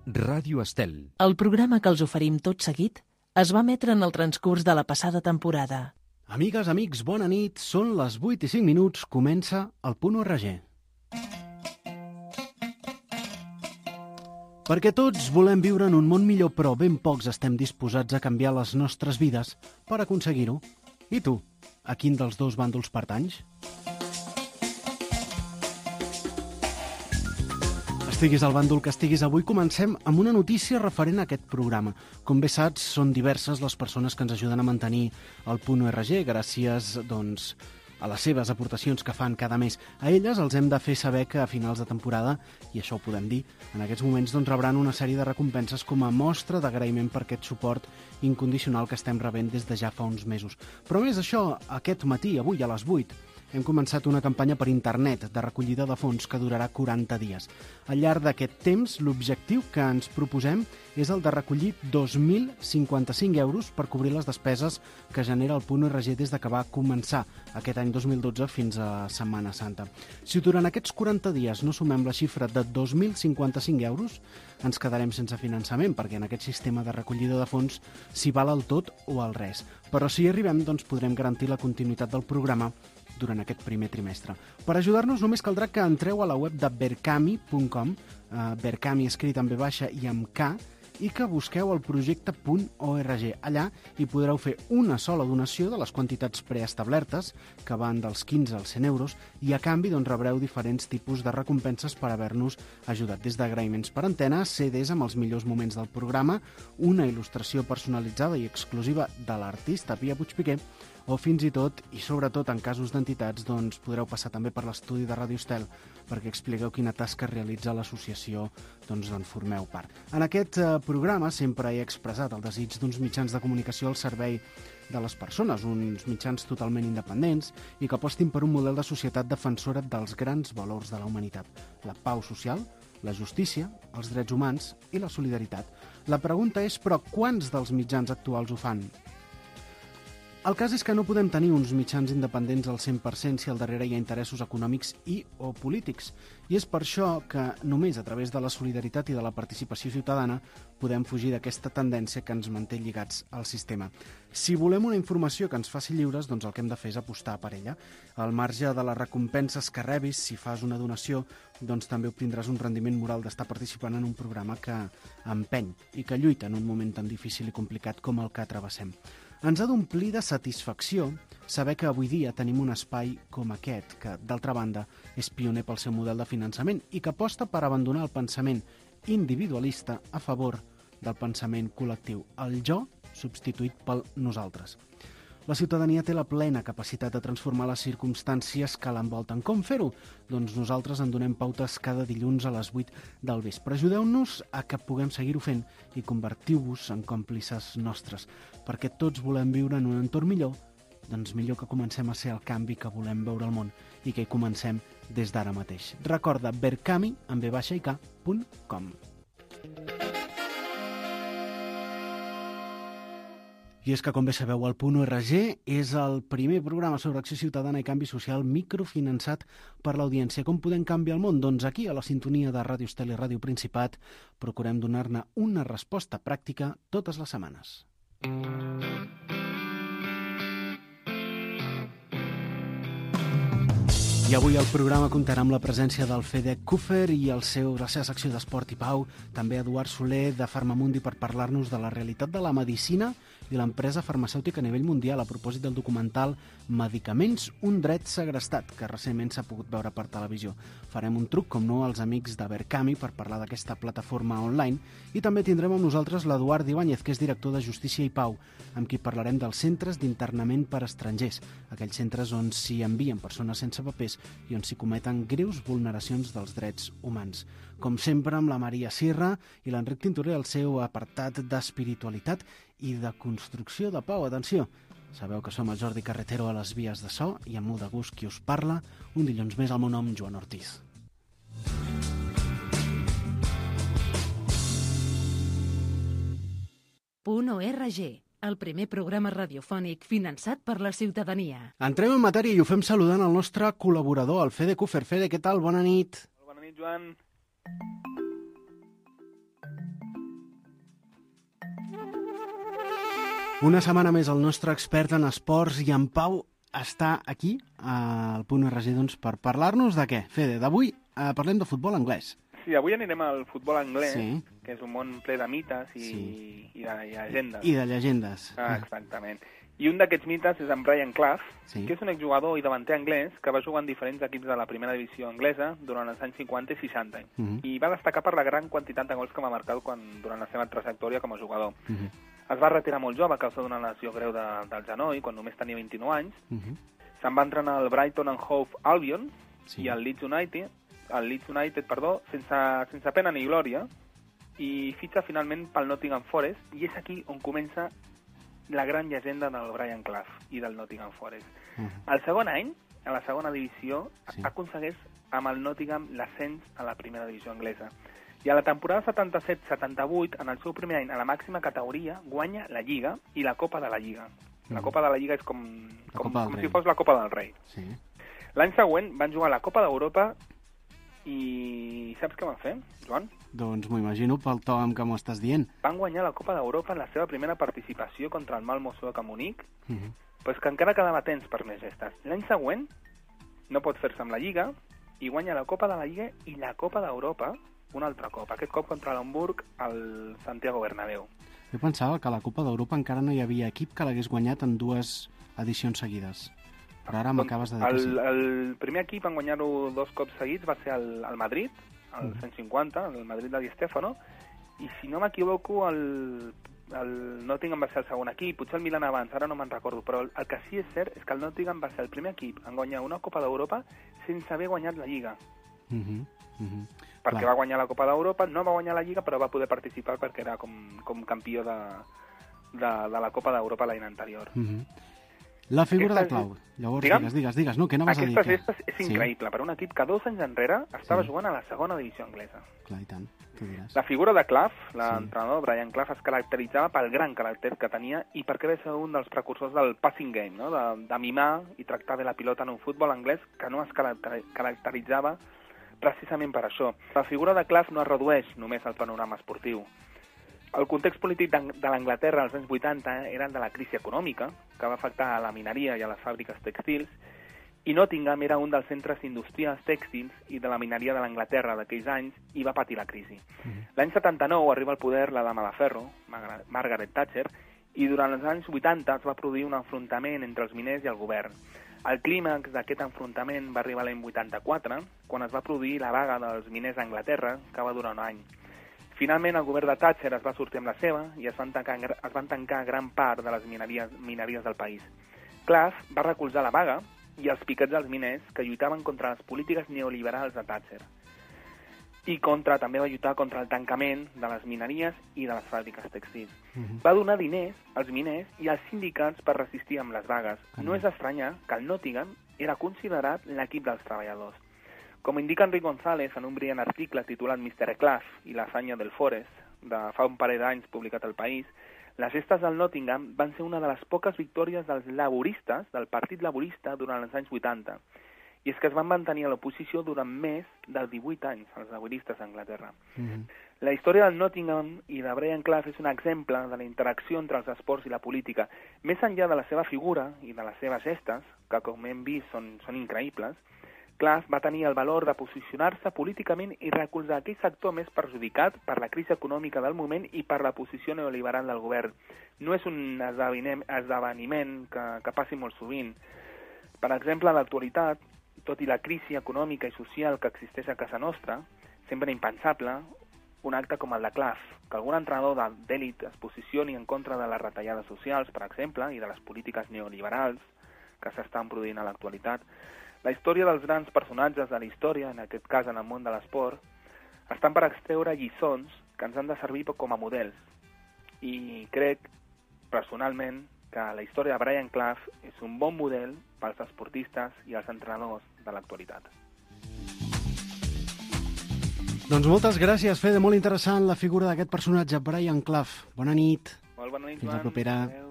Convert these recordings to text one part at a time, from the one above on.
Ràdio Estel. El programa que els oferim tot seguit es va emetre en el transcurs de la passada temporada. Amigues, amics, bona nit. Són les 8:05. Comença el Punt URG. Perquè tots volem viure en un món millor, però ben pocs estem disposats a canviar les nostres vides per aconseguir-ho. I tu, a quin dels dos bàndols pertanys? Estiguis al bàndol que estiguis, avui comencem amb una notícia referent a aquest programa. Com bé saps, són diverses les persones que ens ajuden a mantenir el Punt URG gràcies, a les seves aportacions que fan cada mes. A elles els hem de fer saber que a finals de temporada, i això ho podem dir, en aquests moments rebran una sèrie de recompenses com a mostra d'agraïment per aquest suport incondicional que estem rebent des de ja fa uns mesos. Però més això, aquest matí, avui a les 8, hem començat una campanya per internet de recollida de fons que durarà 40 dies. Al llarg d'aquest temps, l'objectiu que ens proposem és el de recollir 2.055 euros per cobrir les despeses que genera el Punt URG des que va començar aquest any 2012 fins a Setmana Santa. Si durant aquests 40 dies no sumem la xifra de 2.055 euros, ens quedarem sense finançament, perquè en aquest sistema de recollida de fons s'hi val el tot o el res. Però si hi arribem, podrem garantir la continuïtat del programa durant aquest primer trimestre. Per ajudar-nos només caldrà que entreu a la web de berkami.com, Berkami escrit amb V i amb K, i que busqueu el projecte .org. Allà hi podreu fer una sola donació de les quantitats preestablertes, que van dels 15 als 100 euros, i a canvi rebreu diferents tipus de recompenses per haver-nos ajudat, des d'agraïments per antena, CDs amb els millors moments del programa, una il·lustració personalitzada i exclusiva de l'artista Pia Puigpiquer, o fins i tot, i sobretot en casos d'entitats, podreu passar també per l'estudi de Ràdio Estel perquè expliqueu quina tasca realitza l'associació d'on formeu part. En aquest programa sempre he expressat el desig d'uns mitjans de comunicació al servei de les persones, uns mitjans totalment independents i que apostin per un model de societat defensora dels grans valors de la humanitat: la pau social, la justícia, els drets humans i la solidaritat. La pregunta és, però, quants dels mitjans actuals ho fan? El cas és que no podem tenir uns mitjans independents al 100% si al darrere hi ha interessos econòmics o polítics. I és per això que només a través de la solidaritat i de la participació ciutadana podem fugir d'aquesta tendència que ens manté lligats al sistema. Si volem una informació que ens faci lliures, el que hem de fer és apostar per ella. Al marge de les recompenses que rebis, si fas una donació, també obtindràs un rendiment moral d'estar participant en un programa que empeny i que lluita en un moment tan difícil i complicat com el que travessem. Ens ha d'omplir de satisfacció saber que avui dia tenim un espai com aquest, que, d'altra banda, és pioner pel seu model de finançament i que aposta per abandonar el pensament individualista a favor del pensament col·lectiu, el jo substituït pel nosaltres. La ciutadania té la plena capacitat de transformar les circumstàncies que l'envolten. Com fer-ho? Nosaltres en donem pautes cada dilluns a les 8 del vespre. Ajudeu-nos a que puguem seguir-ho fent i convertiu-vos en còmplices nostres, perquè tots volem viure en un entorn millor, millor que comencem a ser el canvi que volem veure al món i que hi comencem des d'ara mateix. Recorda berkami amb v-i-k.com. I és que, com bé sabeu, el Punt URG és el primer programa sobre acció ciutadana i canvi social microfinançat per l'audiència. Com podem canviar el món? Aquí, a la sintonia de Ràdio Estel i Ràdio Principat, procurem donar-ne una resposta pràctica totes les setmanes. I avui el programa comptarà amb la presència del Fede Cuffer i la seva secció d'Esport i Pau, també Eduard Soler de Farmamundi per parlar-nos de la realitat de la medicina i l'empresa farmacèutica a nivell mundial a propòsit del documental Medicaments, un dret segrestat, que recentment s'ha pogut veure per televisió. Farem un truc, com no, als amics de Berkami per parlar d'aquesta plataforma online i també tindrem amb nosaltres l'Eduard Ibáñez, que és director de Justícia i Pau, amb qui parlarem dels centres d'internament per estrangers, aquells centres on s'hi envien persones sense papers i on s'hi cometen greus vulneracions dels drets humans. Com sempre, amb la Maria Sierra i l'Enric Tintorer al seu apartat d'espiritualitat i de construcció de pau. Atenció, sabeu que som el Jordi Carretero a les vies de so i amb molt de gust qui us parla, un dilluns més al meu nom, Joan Ortiz. .org, el primer programa radiofònic finançat per la ciutadania. Entrem en matèria i ho fem saludant el nostre col·laborador, el Fede Cuffer. Fede, què tal? Bona nit. Bona nit, Joan. Una setmana més el nostre expert en esports i en Pau està aquí al .org doncs, per parlar-nos de què? Fede, d'avui parlem de futbol anglès. Sí, avui anirem al futbol anglès, Sí. que és un món ple de mites i de llegendes. I de llegendes. Exactament. I un d'aquests mites és en Brian Clough, Sí. que és un exjugador i davanter anglès que va jugar en diferents equips de la primera divisió anglesa durant els anys 50 i 60. I va destacar per la gran quantitat de gols que va marcar durant la seva trajectòria com a jugador. Es va retirar molt jove a causa d'una lesió greu del genoll, quan només tenia 29 anys. Se'n va entrenar al Brighton and Hove Albion i al Leeds United, sense pena ni glòria, i fitxa finalment pel Nottingham Forest, i és aquí on comença la gran llegenda del Brian Clough i del Nottingham Forest. El segon any, a la segona divisió, aconsegueix amb el Nottingham l'ascens a la primera divisió anglesa. I a la temporada 77-78, en el seu primer any a la màxima categoria, guanya la Lliga i la Copa de la Lliga. La Copa de la Lliga és com si fos la Copa del Rei. Sí. L'any següent van jugar a la Copa d'Europa i saps què van fer, Joan? Doncs m'ho imagino pel to amb què m'ho estàs dient. Van guanyar la Copa d'Europa en la seva primera participació contra el Malmö Suec a Munic, però és que encara quedava temps per més gestes. L'any següent no pot fer-se amb la Lliga i guanya la Copa de la Lliga i la Copa d'Europa un altre cop, aquest cop contra l'Hamburg al Santiago Bernabéu. Jo pensava que a la Copa d'Europa encara no hi havia equip que l'hagués guanyat en 2 edicions seguides. Però ara m'acabes de dir que sí. El primer equip en guanyar-ho 2 cops seguits va ser el Madrid, el 150, el Madrid de Di Stéfano, i si no m'equivoco el Nottingham va ser el segon equip, potser el Milan abans, ara no me'n recordo, però el que sí és cert és que el Nottingham va ser el primer equip en guanyar una Copa d'Europa sense haver guanyat la Lliga. Perquè va guanyar la Copa d'Europa, no va guanyar la Lliga, però va poder participar perquè era com campió de la Copa d'Europa l'any anterior. La figura de Clough. Llavors, digues. No, què anaves a dir? Aquesta és increïble per un equip que 2 anys enrere estava jugant a la segona divisió anglesa. Clar, i tant, tu diràs. La figura de Clough, l'entrenador Brian Clough, es caracteritzava pel gran caràcter que tenia i perquè va ser un dels precursors del passing game, no? de mimar i tractar bé la pilota en un futbol anglès que no es caracteritzava precisament per això. La figura de Clough no es redueix només al panorama esportiu. El context polític de l'Anglaterra als anys 80 era el de la crisi econòmica, que va afectar a la mineria i a les fàbriques tèxtils, i Nottingham era un dels centres industrials tèxtils i de la mineria de l'Anglaterra d'aquells anys i va patir la crisi. L'any 79 arriba al poder la dama de ferro, Margaret Thatcher, i durant els anys 80 es va produir un enfrontament entre els miners i el govern. El clímax d'aquest enfrontament va arribar l'any 84, quan es va produir la vaga dels miners a Anglaterra, que va durar un any. Finalment, el govern de Thatcher es va sortir amb la seva i es van tancar gran part de les mineries del país. Clough va recolzar la vaga i els piquets dels miners que lluitaven contra les polítiques neoliberals de Thatcher. I també va lluitar contra el tancament de les mineries i de les fàbriques tèxtils. Va donar diners als miners i als sindicats per resistir amb les vagues. No és estranyar que el Nottingham era considerat l'equip dels treballadors. Com indica Enric González en un brillant article titulat Mr. Clough i l'afanya del Forest, de fa un parell d'anys publicat al País, les gestes del Nottingham van ser una de les poques victòries dels laboristes, del Partit Laborista, durant els anys 80. I és que es van mantenir a l'oposició durant més de 18 anys, els laboristes d'Anglaterra. La història del Nottingham i de Brian Clough és un exemple de la interacció entre els esports i la política. Més enllà de la seva figura i de les seves gestes, que com hem vist són increïbles, Clough va tenir el valor de posicionar-se políticament i recolzar aquell sector més perjudicat per la crisi econòmica del moment i per la posició neoliberal del govern. No és un esdeveniment que passi molt sovint. Per exemple, a l'actualitat, tot i la crisi econòmica i social que existeix a casa nostra, sembla impensable un acte com el de Clough, que algun entrenador d'èlit es posicioni en contra de les retallades socials, per exemple, i de les polítiques neoliberals que s'estan produint a l'actualitat. La història dels grans personatges de la història, en aquest cas en el món de l'esport, estan per extreure lliçons que ens han de servir com a models. I crec, personalment, que la història de Brian Clough és un bon model pels esportistes i els entrenadors de l'actualitat. Doncs moltes gràcies, Fede. Molt interessant la figura d'aquest personatge, Brian Clough. Bona nit. Molt bona nit, Joan. Fins la propera. Adéu.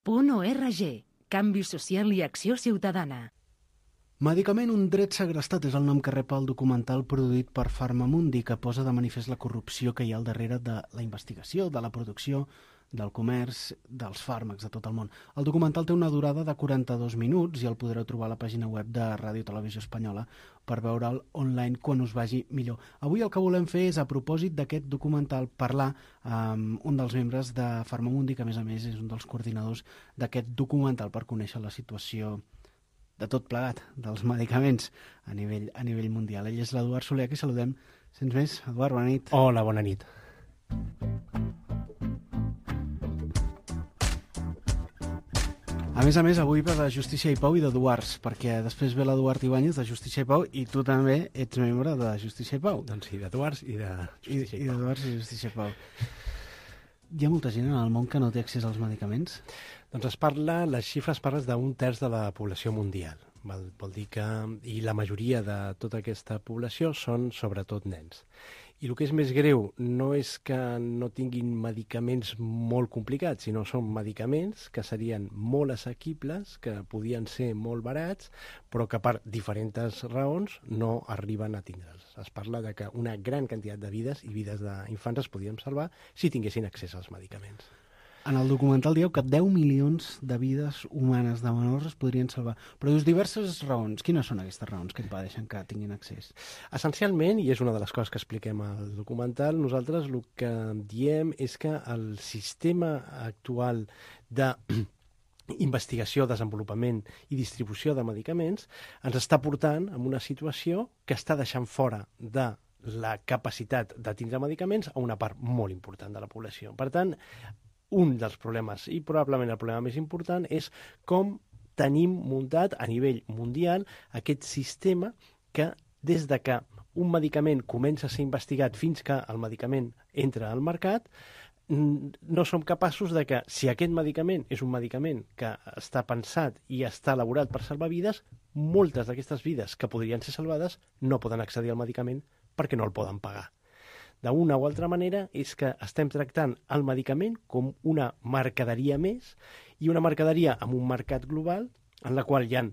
.org. Canvi social i acció ciutadana. Medicament, un dret segrestat és el nom que rep el documental produït per Farmamundi, que posa de manifest la corrupció que hi ha al darrere de la investigació, de la producció, del comerç, dels fàrmacs de tot el món. El documental té una durada de 42 minuts i el podreu trobar a la pàgina web de Ràdio Televisió Espanyola per veure'l online quan us vagi millor. Avui el que volem fer és, a propòsit d'aquest documental, parlar amb un dels membres de Farmamundi, que a més és un dels coordinadors d'aquest documental, per conèixer la situació de tot plegat, dels medicaments a nivell mundial. Ell és l'Eduard Soler, que saludem. Sents més? Eduard, bona nit. Hola, bona nit. A més, avui ve de Justícia i Pau i d'Eduards, perquè després ve l'Eduard Ibáñez de Justícia i Pau i tu també ets membre de Justícia i Pau. Doncs sí, d'Eduards i de Justícia i Pau. I d'Eduards i Justícia i Pau. Hi ha molta gent en el món que no té accés als medicaments? Doncs les xifres parlen d'un terç de la població mundial. Vol dir que la majoria de tota aquesta població són sobretot nens. I el que és més greu no és que no tinguin medicaments molt complicats, sinó són medicaments que serien molt assequibles, que podien ser molt barats, però que per diferents raons no arriben a tindre'ls. Es parla de que una gran quantitat de vides i vides d'infants es podien salvar si tinguessin accés als medicaments. En el documental dieu que 10 milions de vides humanes de menors es podrien salvar. Però dius diverses raons. Quines són aquestes raons que impedeixen que tinguin accés? Essencialment, i és una de les coses que expliquem al documental, nosaltres el que diem és que el sistema actual de investigació, desenvolupament i distribució de medicaments ens està portant a una situació que està deixant fora de la capacitat de tindre medicaments a una part molt important de la població. Per tant, un dels problemes, i probablement el problema més important, és com tenim muntat a nivell mundial aquest sistema que des de que un medicament comença a ser investigat fins que el medicament entra al mercat, no som capaços de que, si aquest medicament és un medicament que està pensat i està elaborat per salvar vides, moltes d'aquestes vides que podrien ser salvades no poden accedir al medicament perquè no el poden pagar. D'una o altra manera és que estem tractant el medicament com una mercaderia més i una mercaderia amb un mercat global en la qual hi ha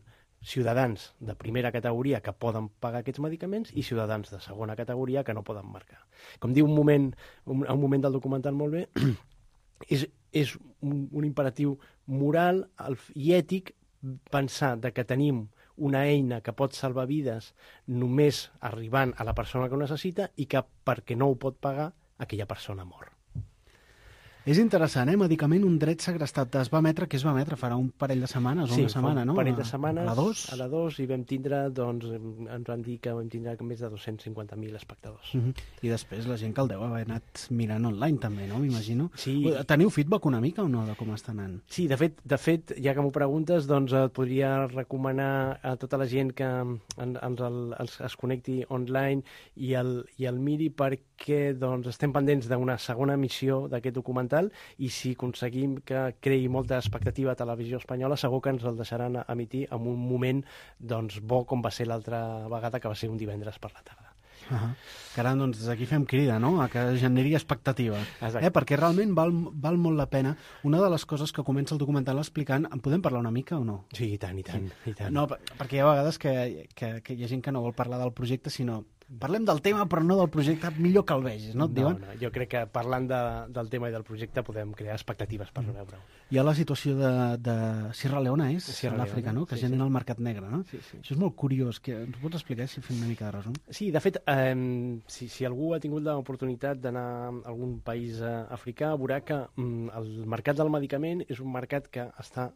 ciutadans de primera categoria que poden pagar aquests medicaments i ciutadans de segona categoria que no poden marcar. Com diu un moment del documental molt bé, és un imperatiu moral i ètic pensar que tenim una eina que pot salvar vides només arribant a la persona que ho necessita i que perquè no ho pot pagar aquella persona mor. És interessant, Medicament, un dret segrestat. Es va emetre, què es va emetre? Farà un parell de setmanes o una setmana, no? Sí, un parell de setmanes. A la 2? A la 2, i vam tindre, doncs, ens van dir que vam tindre més de 250.000 espectadors. I després la gent que el deu haver anat mirant online també, no? M'imagino. Sí. Teniu feedback una mica o no de com està anant? Sí, de fet, ja que m'ho preguntes, doncs et podria recomanar a tota la gent que es connecti online i el miri, perquè doncs, estem pendents d'una segona emissió d'aquest documental i si aconseguim que creï molta expectativa a Televisió Espanyola, segur que ens el deixaran emitir en un moment doncs, bo com va ser l'altra vegada, que va ser un divendres per la tarda. Caram, doncs des d'aquí fem crida, no?, a que generi expectativa. Perquè realment val molt la pena. Una de les coses que comença el documental explicant, en podem parlar una mica o no? Sí, i tant. No, perquè hi ha vegades que hi ha gent que no vol parlar del projecte, sinó parlem del tema però no del projecte, millor que el vegis, no? No, jo crec que parlant del tema i del projecte podem crear expectatives per veure-ho. Hi ha la situació de Sierra Leone, a l'Àfrica, no?, que gent en el mercat negre, no? Sí. Això és molt curiós. Ens ho pots explicar, si fem una mica de resum? Sí, de fet, si algú ha tingut l'oportunitat d'anar a algun país africà, veurà que el mercat del medicament és un mercat que està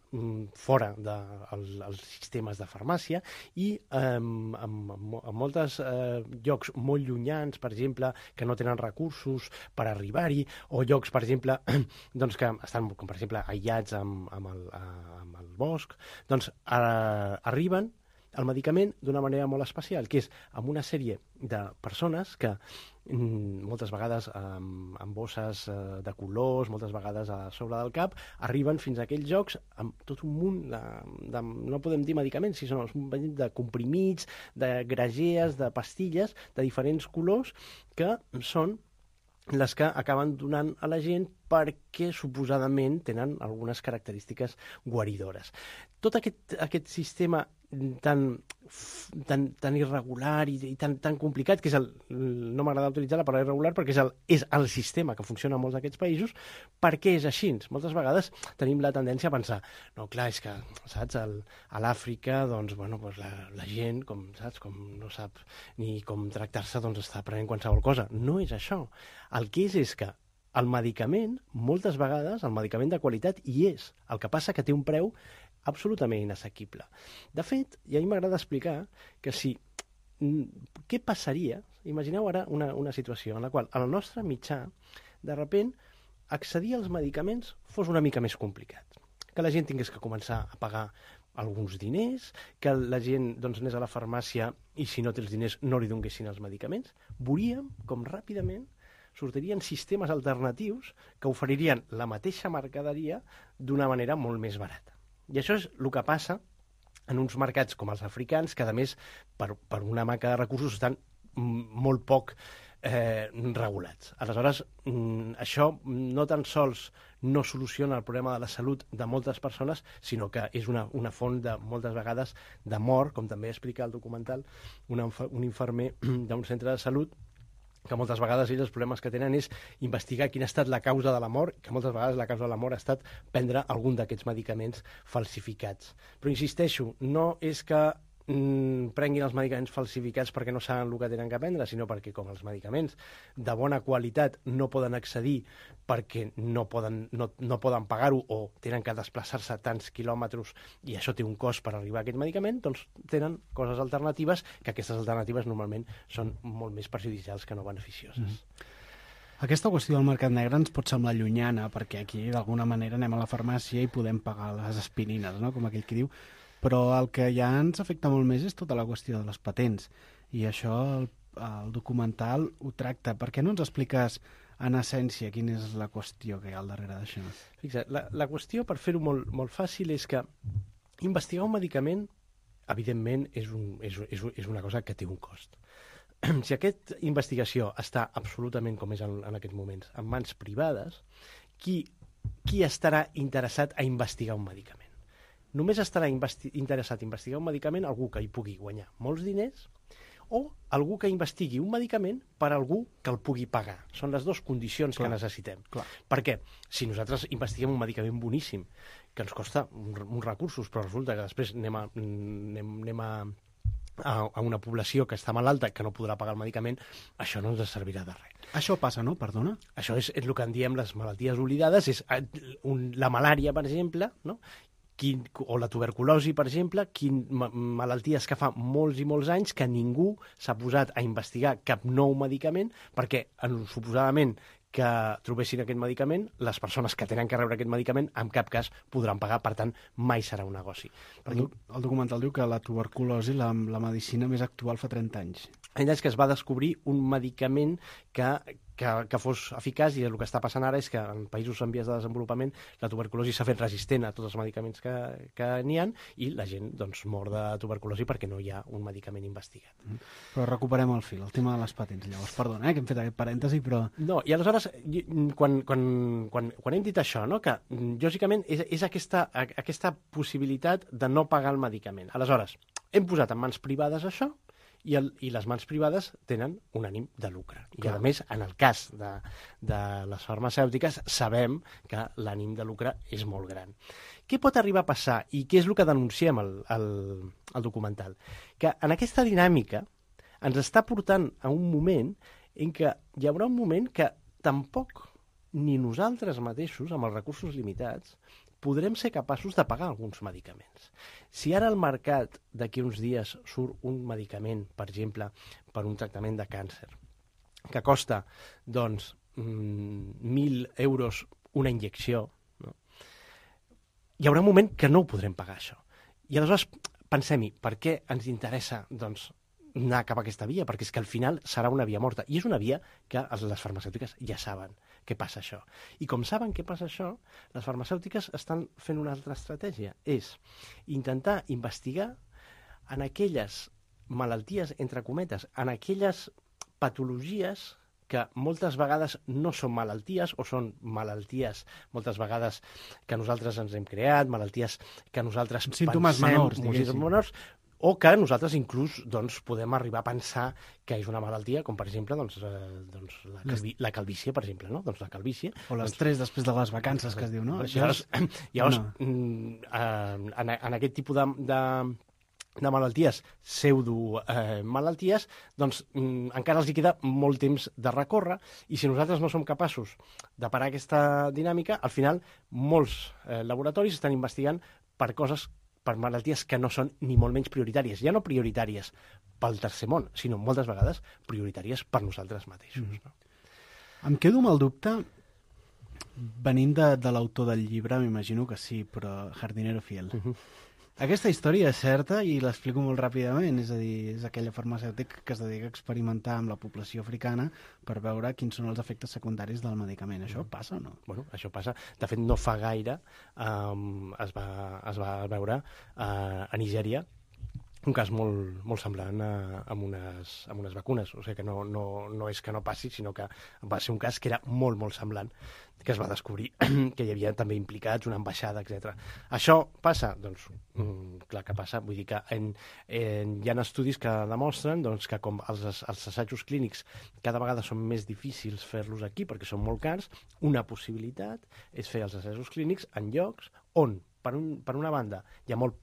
fora dels sistemes de farmàcia i en moltes llocs molt llunyans, per exemple, que no tenen recursos per arribar-hi, o llocs, per exemple, doncs que estan, com per exemple, aïllats amb el bosc, doncs arriben el medicament d'una manera molt especial, que és amb una sèrie de persones que moltes vegades amb bosses de colors, moltes vegades a sobre del cap, arriben fins a aquells llocs amb tot un munt de no podem dir medicaments, sinó un munt de comprimits, de gragees, de pastilles de diferents colors que són les que acaben donant a la gent perquè suposadament tenen algunes característiques guaridores. Tot aquest sistema tan irregular i tan complicat, que és no m'agrada utilitzar la paraula irregular perquè és el sistema que funciona en molts d'aquests països. Per què és així? Moltes vegades tenim la tendència a pensar, no, clar, és que, saps, a l'Àfrica, doncs, bueno, doncs la gent, com no sap ni com tractar-se, doncs està prenent qualsevol cosa. No és això. El que és que el medicament, moltes vegades, el medicament de qualitat hi és. El que passa que té un preu absolutament inassequible. De fet, i a mi m'agrada explicar que què passaria, imagineu ara una situació en la qual el nostre mitjà, de sobte, accedir als medicaments fos una mica més complicat. Que la gent tingués que començar a pagar alguns diners, que la gent doncs, anés a la farmàcia i si no té els diners no li donessin els medicaments. Veuríem com ràpidament sortirien sistemes alternatius que oferirien la mateixa mercaderia d'una manera molt més barata. I això és el que passa en uns mercats com els africans, que a més, per una manca de recursos, estan molt poc regulats. Aleshores, això no tan sols no soluciona el problema de la salut de moltes persones, sinó que és una font de, moltes vegades, de mort, com també explica el documental un infermer d'un centre de salut, que moltes vegades ells els problemes que tenen és investigar quina ha estat la causa de la mort, que moltes vegades la causa de la mort ha estat prendre algun d'aquests medicaments falsificats. Però insisteixo, no és que prenguin els medicaments falsificats perquè no saben el que tenen que prendre, sinó perquè com els medicaments de bona qualitat no poden accedir perquè no poden pagar-ho o tenen que desplaçar-se tants quilòmetres i això té un cost per arribar a aquest medicament, doncs tenen coses alternatives, que aquestes alternatives normalment són molt més perjudicials que no beneficioses. Aquesta qüestió del mercat negre ens pot semblar llunyana, perquè aquí d'alguna manera anem a la farmàcia i podem pagar les aspirines, no? Com aquell que diu, però el que ja ens afecta molt més és tota la qüestió de les patents, i això el documental ho tracta. Per què no ens expliques en essència quina és la qüestió que hi ha al darrere d'això? Fixa't, la qüestió, per fer-ho molt fàcil, és que investigar un medicament, evidentment, és una cosa que té un cost. Si aquesta investigació està absolutament, com és en aquests moments, en mans privades, qui estarà interessat a investigar un medicament? Només estarà interessat a investigar un medicament algú que hi pugui guanyar molts diners o algú que investigui un medicament per algú que el pugui pagar. Són les dues condicions que necessitem. Per què? Si nosaltres investiguem un medicament boníssim que ens costa uns recursos, però resulta que després anem a una població que està malalta, que no podrà pagar el medicament, això no ens servirà de res. Això passa, no? Perdona? Això és el que en diem les malalties oblidades, és la malària, per exemple, no? O la tuberculosi, per exemple, malalties que fa molts i molts anys que ningú s'ha posat a investigar cap nou medicament perquè, suposadament, que trobessin aquest medicament, les persones que tenen que rebre aquest medicament en cap cas podran pagar, per tant, mai serà un negoci. El documental diu que la tuberculosi, la medicina més actual fa 30 anys. És que es va descobrir un medicament que fos eficaç, i el que està passant ara és que en països en vies de desenvolupament la tuberculosi s'ha fet resistent a tots els medicaments que n'hi ha i la gent doncs, mor de tuberculosi perquè no hi ha un medicament investigat. Però recuperem el fil, el tema de les patents. Llavors, perdona, que hem fet aquest parèntesi, però... No, i aleshores, quan hem dit això, no? Que lògicament és aquesta possibilitat de no pagar el medicament. Aleshores, hem posat en mans privades això, i les mans privades tenen un ànim de lucre. I, a més, en el cas de les farmacèutiques, sabem que l'ànim de lucre és molt gran. Què pot arribar a passar, i què és el que denunciem al documental? Que en aquesta dinàmica ens està portant a un moment en què hi haurà un moment que tampoc ni nosaltres mateixos, amb els recursos limitats, podrem ser capaços de pagar alguns medicaments. Si ara al mercat d'aquí uns dies surt un medicament, per exemple, per un tractament de càncer, que costa, doncs, 1.000 euros una injecció, no? Hi haurà un moment que no ho podrem pagar, això. I aleshores pensem-hi, per què ens interessa, doncs, anar cap a aquesta via? Perquè és que al final serà una via morta. I és una via que les farmacèutiques ja saben què passa això. I com saben què passa això, les farmacèutiques estan fent una altra estratègia. És intentar investigar en aquelles malalties, entre cometes, en aquelles patologies que moltes vegades no són malalties o són malalties moltes vegades que nosaltres ens hem creat, malalties que nosaltres símptomes menors, o que nosaltres inclús doncs, podem arribar a pensar que és una malaltia, com per exemple la calvície, per exemple, no? Doncs la calvície... O l'estrès després de les vacances, que es diu, no? Llavors, en aquest tipus de malalties, pseudo-malalties, doncs encara els hi queda molt temps de recórrer, i si nosaltres no som capaços de parar aquesta dinàmica, al final molts laboratoris estan investigant per malalties que no són ni molt menys prioritàries. Ja no prioritàries pel tercer món, sinó moltes vegades prioritàries per nosaltres mateixos. No? Em quedo amb el dubte, venint de l'autor del llibre, m'imagino que sí, però Jardinero Fiel. Aquesta història és certa i l'explico molt ràpidament, és a dir, és aquella farmacèutica que es dedica a experimentar amb la població africana per veure quins són els efectes secundaris del medicament. Això passa o no? Bueno, això passa. De fet, no fa gaire es va veure a Nigèria un cas molt semblant amb unes vacunes. O sigui que no és que no passi, sinó que va ser un cas que era molt semblant, que es va descobrir que hi havia també implicats una ambaixada, etc. Això passa? Doncs clar que passa. Vull dir que hi ha estudis que demostren doncs, que com els assajos clínics cada vegada són més difícils fer-los aquí perquè són molt cars, una possibilitat és fer els assajos clínics en llocs on, per una banda, hi ha molt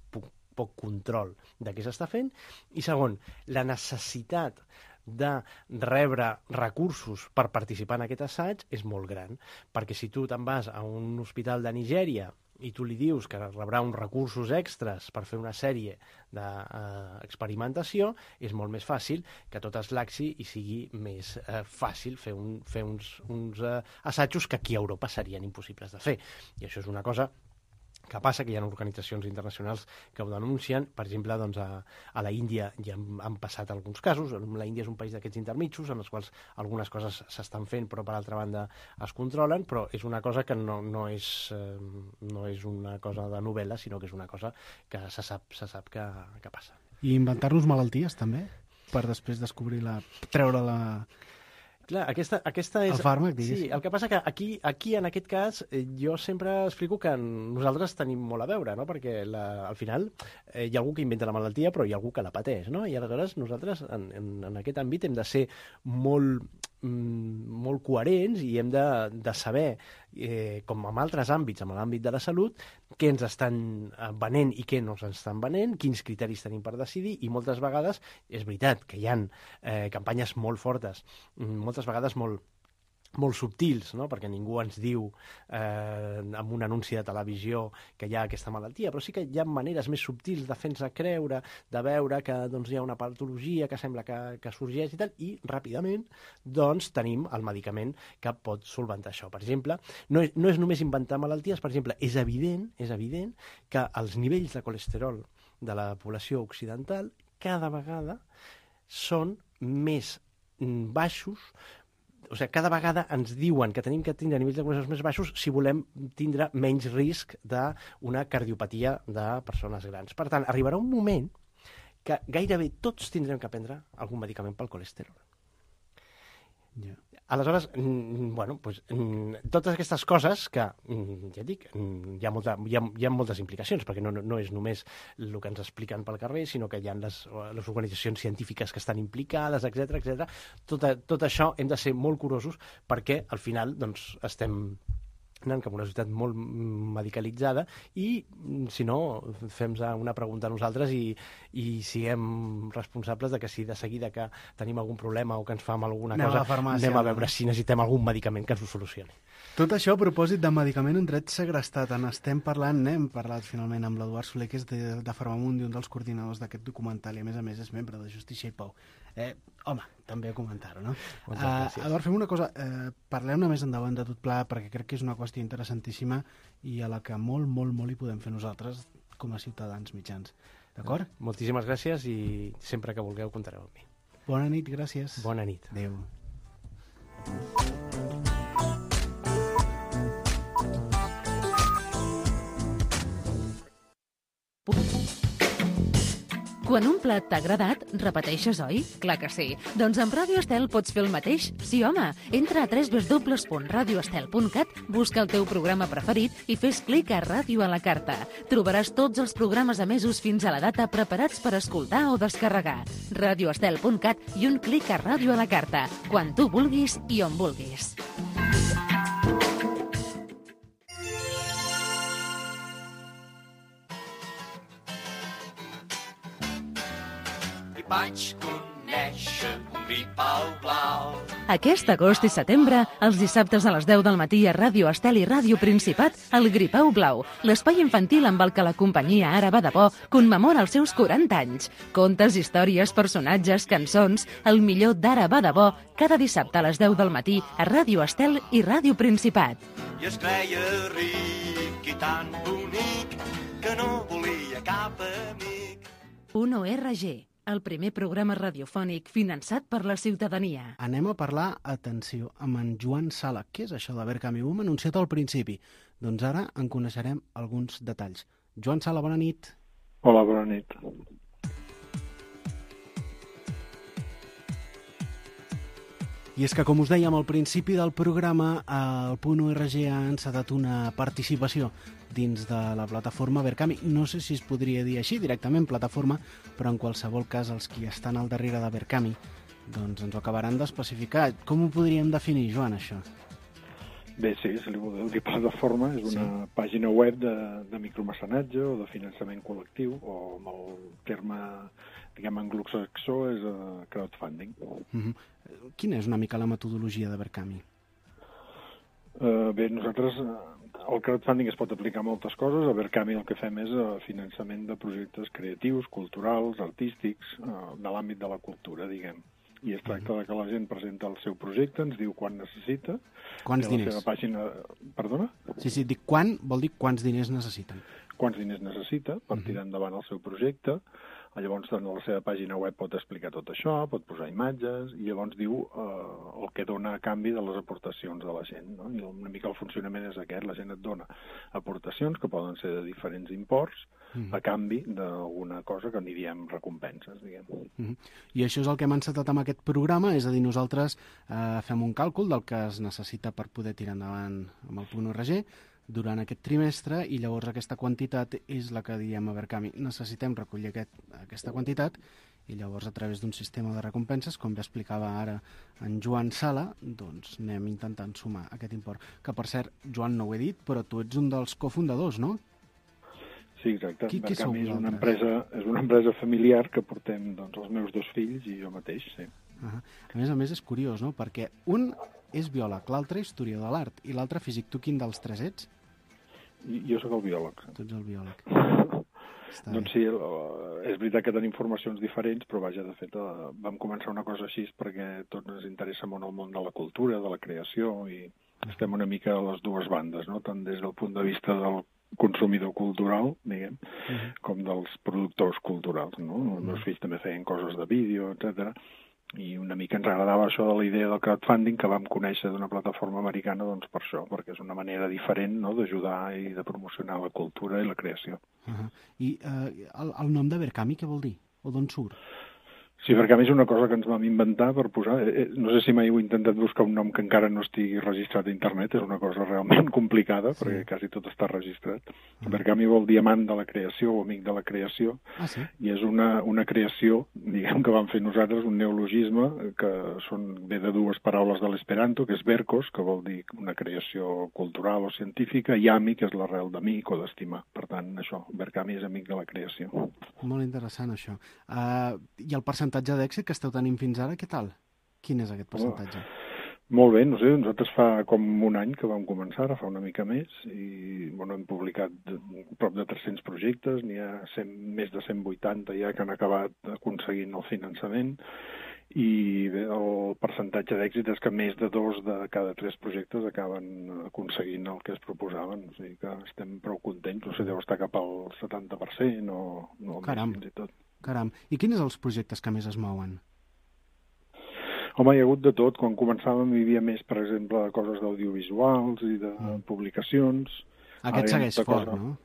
poc control de què s'està fent, i segon, la necessitat de rebre recursos per participar en aquest assaig és molt gran, perquè si tu te'n vas a un hospital de Nigèria i tu li dius que rebrà uns recursos extras per fer una sèrie d'experimentació, és molt més fàcil que tot es laxi i sigui més fàcil fer uns assajos que aquí a Europa serien impossibles de fer. I això és una cosa que passa, que hi ha organitzacions internacionals que ho denuncien. Per exemple, doncs, a la Índia ja han passat alguns casos. La Índia és un país d'aquests intermitjos en els quals algunes coses s'estan fent però per altra banda es controlen, però és una cosa que no és una cosa de novel·la, sinó que és una cosa que se sap que passa. I inventar-nos malalties també? Per després descobrir-la, treure-la... Clar, aquesta és... El fàrmac, diguéssim. Sí, el que passa que aquí en aquest cas, jo sempre explico que nosaltres tenim molt a veure, no? Perquè al final hi ha algú que inventa la malaltia, però hi ha algú que la pateix, no? I aleshores nosaltres en aquest àmbit hem de ser molt coherents i hem de saber, com en altres àmbits, en l'àmbit de la salut, què ens estan venent i què no ens estan venent, quins criteris tenim per decidir, i moltes vegades és veritat que hi ha campanyes molt fortes, moltes vegades molt subtils, no? Perquè ningú ens diu amb un anunci de televisió que hi ha aquesta malaltia, però sí que hi ha maneres més subtils de fer-nos creure, de veure que doncs, hi ha una patologia que sembla que sorgeix i tal, i ràpidament doncs, tenim el medicament que pot solventar això. Per exemple, no és només inventar malalties, per exemple, és evident que els nivells de colesterol de la població occidental cada vegada són més baixos. O sigui, cada vegada ens diuen que tenim que tindre nivells de colesterol més baixos si volem tindre menys risc d'una cardiopatia de persones grans. Per tant, arribarà un moment que gairebé tots tindrem que prendre algun medicament pel colesterol. Yeah. Aleshores, totes aquestes coses que, ja dic, hi ha moltes implicacions, perquè no és només el que ens expliquen pel carrer, sinó que hi ha les organitzacions científiques que estan implicades, etc. Tot això hem de ser molt curosos perquè al final doncs, estem anant cap a una societat molt medicalitzada i, si no, fem una pregunta a nosaltres i siguem responsables de que si de seguida que tenim algun problema o que ens fa mal alguna cosa, anem a veure si necessitem algun medicament que ens ho solucioni. Tot això a propòsit de medicament en dret segrestat. N'estem parlant, hem parlat finalment amb l'Eduard Soler, que és de Farmamundi, un dels coordinadors d'aquest documental, i a més és membre de Justícia i Pau. Home, també a comentar-ho, no? Eduard, fem una cosa, parlem-ne més endavant de tot pla, perquè crec que és una qüestió interessantíssima i a la que molt hi podem fer nosaltres com a ciutadans mitjans. D'acord? Moltíssimes gràcies i sempre que vulgueu comptareu amb mi. Bona nit, gràcies. Bona nit. Adéu. Quan un plat t'ha agradat, repeteixes, oi? Clar que sí. Doncs amb Ràdio Estel pots fer el mateix. Sí, home. Entra a www.radioestel.cat, busca el teu programa preferit i fes clic a Ràdio a la carta. Trobaràs tots els programes emesos fins a la data preparats per escoltar o descarregar. radioestel.cat i un clic a Ràdio a la carta. Quan tu vulguis i on vulguis. Vaig conèixer un gripau blau. Aquest agost i setembre, els dissabtes a les 10 del matí a Ràdio Estel i Ràdio Principat, el Gripau Blau, l'espai infantil amb el que la companyia Ara va de bo commemora els seus 40 anys. Contes, històries, personatges, cançons, el millor d'Ara va de bo, cada dissabte a les 10 del matí a Ràdio Estel i Ràdio Principat. I es creia ric i tan bonic que no volia cap amic. 1ORG, el primer programa radiofònic finançat per la ciutadania. Anem a parlar, atenció, amb en Joan Sala. Què és això de Verkami? Ho hem anunciat al principi. Doncs ara en coneixerem alguns detalls. Joan Sala, bona nit. Hola, bona nit. I és que, com us dèiem al principi del programa, el .org ha encetat una participació dins de la plataforma Verkami. No sé si es podria dir així, directament plataforma, però en qualsevol cas els qui estan al darrere de Verkami doncs ens ho acabaran d'especificar. Com ho podríem definir, Joan, això? Bé, sí, se li vol dir plataforma, és una pàgina web de micromecenatge o de finançament col·lectiu, o amb el terme, diguem, anglosaxó és crowdfunding. Quina és una mica la metodologia de Verkami? Bé, nosaltres, el crowdfunding es pot aplicar a moltes coses. A Verkami el que fem és finançament de projectes creatius, culturals, artístics, de l'àmbit de la cultura, diguem. I es tracta de que la gent presenta el seu projecte, ens diu quan necessita. Quants diners? La seva pàgina... Perdona? Sí, dic quan, vol dir quants diners necessiten. Quants diners necessita per tirar endavant el seu projecte. Llavors, en la seva pàgina web pot explicar tot això, pot posar imatges, i llavors diu el que dona a canvi de les aportacions de la gent. No? I una mica el funcionament és aquest, la gent et dona aportacions, que poden ser de diferents imports, a canvi d'alguna cosa que n'hi diem recompenses, diguem. I això és el que hem encetat amb aquest programa, és a dir, nosaltres fem un càlcul del que es necessita per poder tirar endavant amb el .org durant aquest trimestre, i llavors aquesta quantitat és la que diem a Verkami. Necessitem recollir aquesta quantitat, i llavors a través d'un sistema de recompenses, com bé explicava ara en Joan Sala, doncs anem intentant sumar aquest import. Que, per cert, Joan, no ho he dit, però tu ets un dels cofundadors, no? Sí, exacte. Qui Verkami és una empresa familiar que portem doncs, els meus 2 fills i jo mateix, sí. A més és curiós, no? Perquè un és biòleg, l'altre historiador de l'art, i l'altre físic. Tu quin dels 3 ets? Jo sóc el biòleg. Tu ets el biòleg. Doncs sí, és veritat que tenim formacions diferents, però vaja, de fet, vam començar una cosa així perquè tots ens interessa molt el món de la cultura, de la creació, i estem una mica a les dues bandes, no? Tant des del punt de vista del consumidor cultural, diguem, com dels productors culturals, no? Els meus fills també feien coses de vídeo, etc. I una mica ens agradava això de la idea del crowdfunding, que vam conèixer d'una plataforma americana, doncs per això, perquè és una manera diferent, no?, d'ajudar i de promocionar la cultura i la creació. I el nom de Verkami què vol dir? O d'on surt? Sí, Verkami és una cosa que ens vam inventar per posar... No sé si mai heu intentat buscar un nom que encara no estigui registrat a internet, és una cosa realment complicada, perquè quasi tot està registrat. Verkami vol diamant de la creació o amic de la creació, i és una creació, diguem, que vam fer nosaltres, un neologisme que ve de dues paraules de l'esperanto, que és verkos, que vol dir una creació cultural o científica, i ami, que és l'arrel d'amic o d'estimar. Per tant, això, Verkami és amic de la creació. Molt interessant, això. I el percentatge d'èxit que esteu tenint fins ara, què tal? Quin és aquest percentatge? Molt bé, no sé, nosaltres fa com un any que vam començar, ara fa una mica més, i hem publicat prop de 300 projectes, n'hi ha més de 180 ja que han acabat aconseguint el finançament, i bé, el percentatge d'èxit és que més de 2 de cada 3 projectes acaben aconseguint el que es proposaven, o sigui que estem prou contents, no sé, deu estar cap al 70% o més fins i tot. Caram, i quins són els projectes que més es mouen? Home, hi ha hagut de tot. Quan començàvem hi havia més, per exemple, coses d'audiovisuals i de publicacions. Aquest segueix fort, no?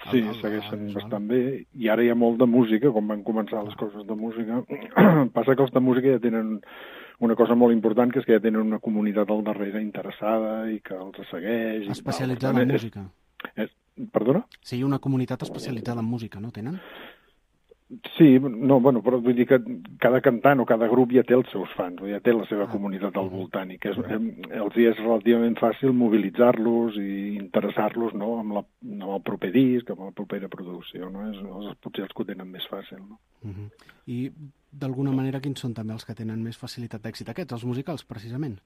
Sí, segueixen bastant bé, i ara hi ha molt de música, com van començar les coses de música. Passa que els de música ja tenen una cosa molt important, que és que ja tenen una comunitat al darrere interessada i que els segueix. Especialitzada en música. Perdona? Sí, una comunitat especialitzada en música, no tenen? Sí, no, bueno, però vull dir que cada cantant o cada grup ja té els seus fans, ja té la seva comunitat al voltant, i que els és relativament fàcil mobilitzar-los i interessar-los, no?, amb el proper disc, amb la propera producció, no? Potser els que ho tenen més fàcil, no? I, d'alguna manera, quins són també els que tenen més facilitat d'èxit? Aquests, els musicals, precisament?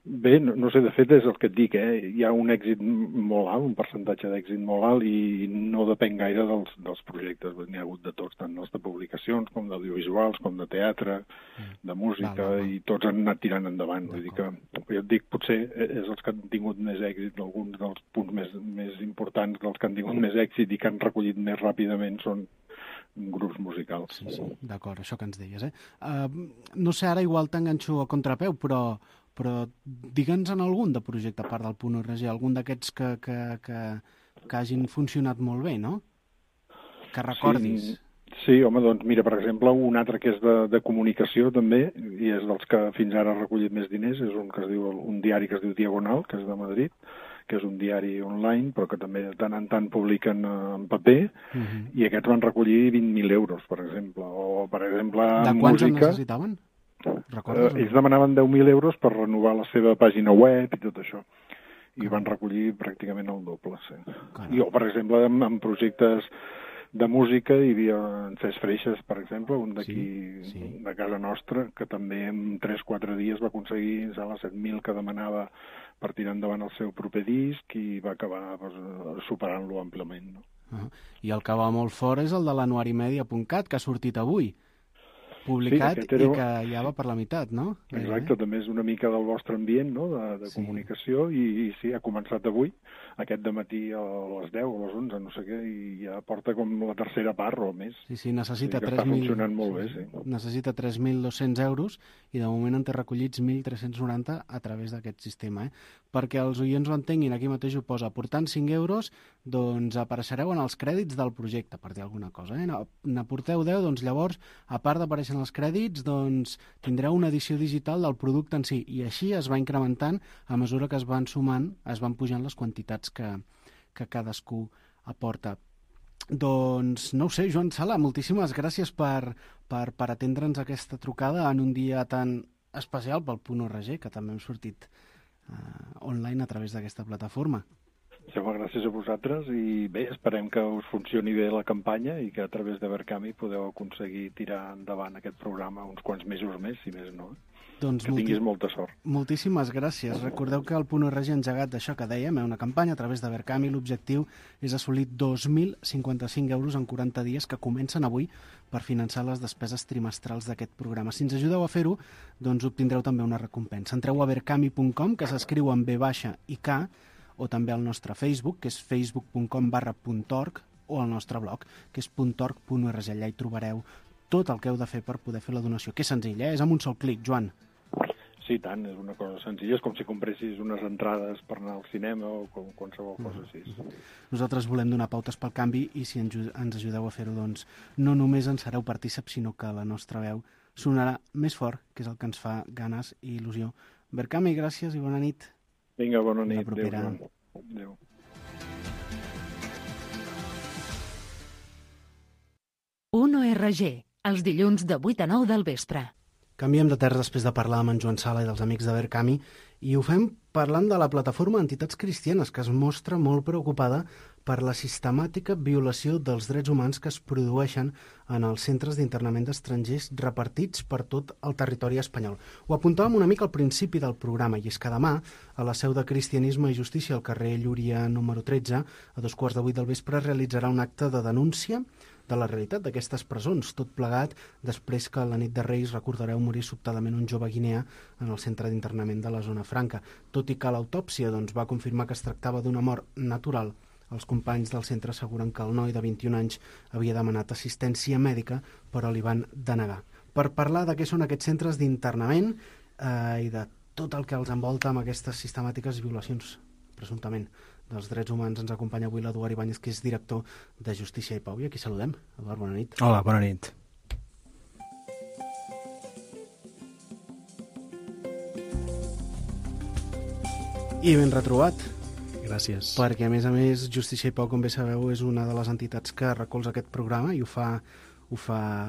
Bé, no sé, de fet és el que et dic, hi ha un èxit molt alt, un percentatge d'èxit molt alt, i no depèn gaire dels projectes. N'hi ha hagut de tots, tant els de publicacions com d'audiovisuals, com de teatre, de música, i tots han anat tirant endavant. Vull dir que, jo et dic, potser és els que han tingut més èxit, alguns dels punts més importants dels que han tingut més èxit i que han recollit més ràpidament són grups musicals. Sí, d'acord, això que ens deies, no sé, ara igual t'enganxo a contrapeu, però digue'ns en algun de projecte, a part del .org, algun d'aquests que hagin funcionat molt bé, no? Que recordis. Sí, home, doncs mira, per exemple, un altre que és de comunicació també, i és dels que fins ara ha recollit més diners, és un diari que es diu Diagonal, que és de Madrid, que és un diari online, però que també de tant en tant publiquen en paper, i aquests van recollir 20.000 euros, per exemple. O, per exemple, de quants en necessitaven? Ells demanaven 10.000 euros per renovar la seva pàgina web i tot això. I van recollir pràcticament el doble, sí. I, per exemple, en projectes de música hi havia en Cesc Freixas, per exemple, un d'aquí de casa nostra, que també en 3-4 dies va aconseguir les 7.000 que demanava per tirar endavant el seu proper disc, i va acabar superant-lo amplament. I el que va molt fort és el de l'anuarimedia.cat, que ha sortit avui, publicat, i que ja va per la meitat, no? Exacte, també és una mica del vostre ambient, no?, de comunicació, i sí, ha començat avui, aquest dematí a les 10 o a les 11, no sé què, i ja porta com la tercera part o més. Sí, necessita 3.000... Està funcionant molt bé, sí. Necessita 3.200 euros, i de moment en té recollits 1.390 a través d'aquest sistema, Perquè els oients ho entenguin, aquí mateix ho posa, aportant 5 euros, doncs apareixereu en els crèdits del projecte, per dir alguna cosa, N'aporteu 10, doncs llavors, a part d'aparèixer en els crèdits, doncs tindreu una edició digital del producte en si, i així es va incrementant a mesura que es van sumant, es van pujant les quantitats que cadascú aporta. Doncs, no ho sé, Joan Sala, moltíssimes gràcies per atendre'ns aquesta trucada en un dia tan especial pel .org, que també hem sortit online a través d'aquesta plataforma. Gràcies a vosaltres, i bé, esperem que us funcioni bé la campanya i que a través de Verkami podeu aconseguir tirar endavant aquest programa uns quants mesos més, si més no. Doncs que tinguis molta sort. Moltíssimes gràcies. Recordeu que el .org ha engegat d'això que dèiem, una campanya a través de Verkami. L'objectiu és assolir 2.055 euros en 40 dies que comencen avui per finançar les despeses trimestrals d'aquest programa. Si ens ajudeu a fer-ho, doncs obtindreu també una recompensa. Entreu a verkami.com, que s'escriu amb V baixa i K, o també al nostre Facebook, que és facebook.com/.org, o al nostre blog, que és .org.org. Allà hi trobareu tot el que heu de fer per poder fer la donació, que és senzill, és amb un sol clic, Joan. Sí, tant, és una cosa senzilla, és com si compressis unes entrades per anar al cinema o qualsevol cosa així. Nosaltres volem donar pautes pel canvi, i si ens ajudeu a fer-ho, doncs no només en sereu partíceps, sinó que la nostra veu sonarà més fort, que és el que ens fa ganes i il·lusió. Verkami, gràcies i bona nit. Vinga, bona nit. Adéu, Joan. Adéu. .org, els dilluns de 8 a 9 del vespre. Canviem de terra després de parlar amb en Joan Sala i dels amics de Verkami, i ho fem parlant de la plataforma d'entitats cristianes, que es mostra molt preocupada per la sistemàtica violació dels drets humans que es produeixen en els centres d'internament d'estrangers repartits per tot el territori espanyol. Ho apuntàvem una mica al principi del programa, i és que demà, a la seu de Cristianisme i Justícia, al carrer Llúria número 13, a 7:15 del vespre, realitzarà un acte de denúncia de la realitat d'aquestes presons, tot plegat després que la nit de Reis, recordareu, morir sobtadament un jove guineà en el centre d'internament de la Zona Franca. Tot i que l'autòpsia va confirmar que es tractava d'una mort natural, els companys del centre asseguren que el noi de 21 anys havia demanat assistència mèdica, però li van denegar. Per parlar de què són aquests centres d'internament i de tot el que els envolta amb aquestes sistemàtiques violacions, presumptament, dels Drets Humans. Ens acompanya avui l'Eduard Ibáñez, que és director de Justícia i Pau. I aquí saludem. Eduard, bona nit. Hola, bona nit. I ben retrobat. Gràcies. Perquè, a més, Justícia i Pau, com bé sabeu, és una de les entitats que recolza aquest programa i ho fa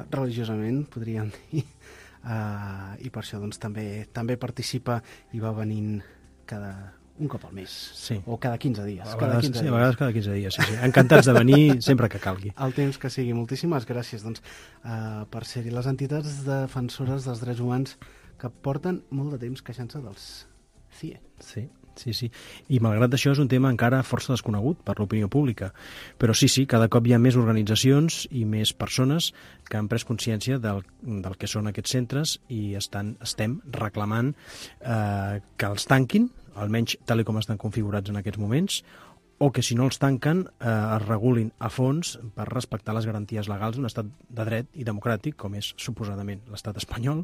religiosament, podríem dir. I per això doncs, també participa i va venint un cop al mes, sí. O cada 15 dies. A vegades cada 15 dies, sí. Encantats de venir sempre que calgui. El temps que sigui. Moltíssimes gràcies per ser-hi les entitats defensores dels drets humans que porten molt de temps queixant-se dels CIE. Sí. I malgrat això és un tema encara força desconegut per l'opinió pública. Però sí, cada cop hi ha més organitzacions i més persones que han pres consciència del que són aquests centres i estem reclamant que els tanquin, almenys tal com estan configurats en aquests moments, o que si no els tanquen es regulin a fons per respectar les garanties legals d'un estat de dret i democràtic, com és suposadament l'estat espanyol,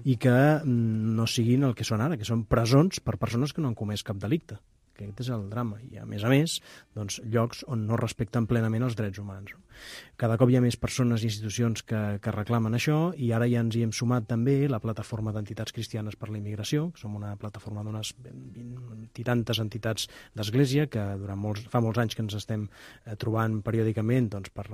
i que no siguin el que són ara, que són presons per persones que no han comès cap delicte. Aquest és el drama. I, a més, doncs, llocs on no respecten plenament els drets humans. Cada cop hi ha més persones i institucions que reclamen això, i ara ja ens hi hem sumat també la plataforma d'entitats cristianes per la immigració, que som una plataforma d'unes 20 i tantes entitats d'església que fa molts anys que ens estem trobant periòdicament doncs, per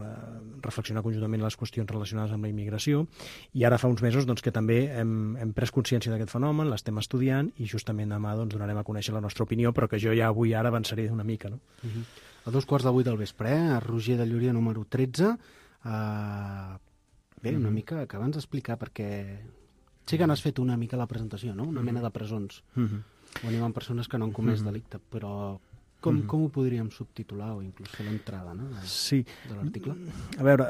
reflexionar conjuntament les qüestions relacionades amb la immigració, i ara fa uns mesos doncs, que també hem pres consciència d'aquest fenomen, l'estem estudiant, i justament demà doncs, donarem a conèixer la nostra opinió, però que jo ja ara avançaré una mica, no? A 2:15 del vespre, a Roger de Llúria número 13. Bé, una mica, acaba'ns d'explicar, perquè sí que n'has fet una mica la presentació, no? Una mena de presons, on hi ha persones que no han comès delicte, però com ho podríem subtitular o inclús fer l'entrada, no? De l'article? A veure,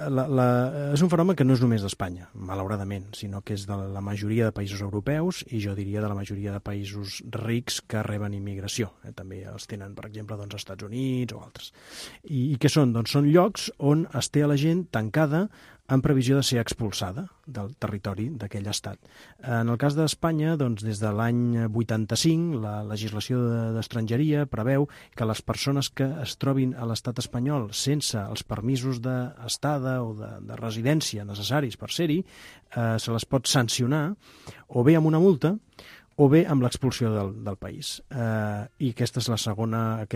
és un fenomen que no és només d'Espanya, malauradament, sinó que és de la majoria de països europeus i jo diria de la majoria de països rics que reben immigració. També els tenen, per exemple, als Estats Units o altres. I què són? Doncs són llocs on es té a la gent tancada en previsió de ser expulsada del territori d'aquell estat. En el cas d'Espanya, doncs, des de l'any 85, la legislació d'estrangeria preveu que les persones que es trobin a l'estat espanyol sense els permisos d'estada o de residència necessaris per ser-hi, se les pot sancionar o bé amb una multa o bé amb l'expulsió del país. I aquesta segona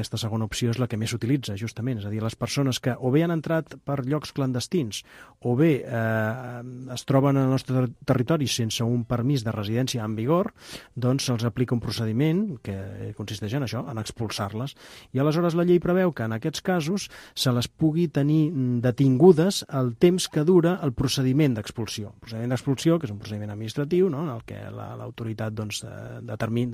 opció és la que més s'utilitza, justament. És a dir, les persones que o bé han entrat per llocs clandestins o bé es troben al nostre territori sense un permís de residència en vigor, doncs se'ls aplica un procediment que consisteix en això, en expulsar-les. I aleshores la llei preveu que en aquests casos se les pugui tenir detingudes el temps que dura el procediment d'expulsió. El procediment d'expulsió, que és un procediment administratiu, no?, en el que l'autoritat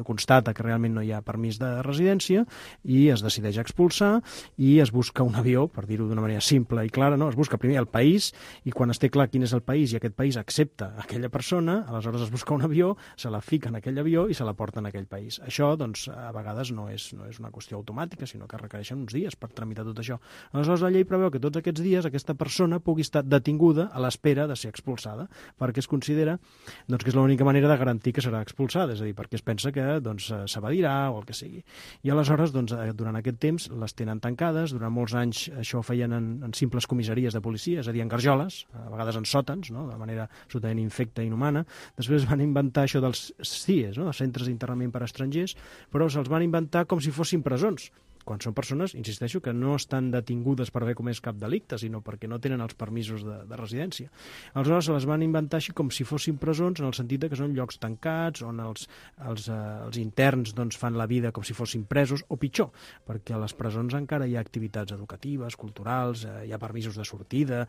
constata que realment no hi ha permís de residència i es decideix expulsar i es busca un avió, per dir-ho d'una manera simple i clara, no? Es busca primer el país i quan es té clar quin és el país i aquest país accepta aquella persona, aleshores es busca un avió, se la fica en aquell avió i se la porta en aquell país. Això, doncs, a vegades no és una qüestió automàtica, sinó que requereixen uns dies per tramitar tot això. Aleshores la llei preveu que tots aquests dies aquesta persona pugui estar detinguda a l'espera de ser expulsada, perquè es considera doncs, que és l'única manera de garantir que serà expulsada, és a dir, perquè es pensa que doncs, s'evadirà o el que sigui. I aleshores, doncs, durant aquest temps, les tenen tancades. Durant molts anys això ho feien en simples comissaries de policia, és a dir, en garjoles, a vegades en sòtans, no?, de manera absolutament infecta i inhumana. Després van inventar això dels CIEs, no?, dels centres d'internament per a estrangers, però se'ls van inventar com si fossin presons, quan són persones, insisteixo, que no estan detingudes per haver comès cap delicte, sinó perquè no tenen els permisos de residència. Aleshores se les van inventar així com si fossin presons, en el sentit que són llocs tancats, on els interns doncs, fan la vida com si fossin presos, o pitjor, perquè a les presons encara hi ha activitats educatives, culturals, hi ha permisos de sortida,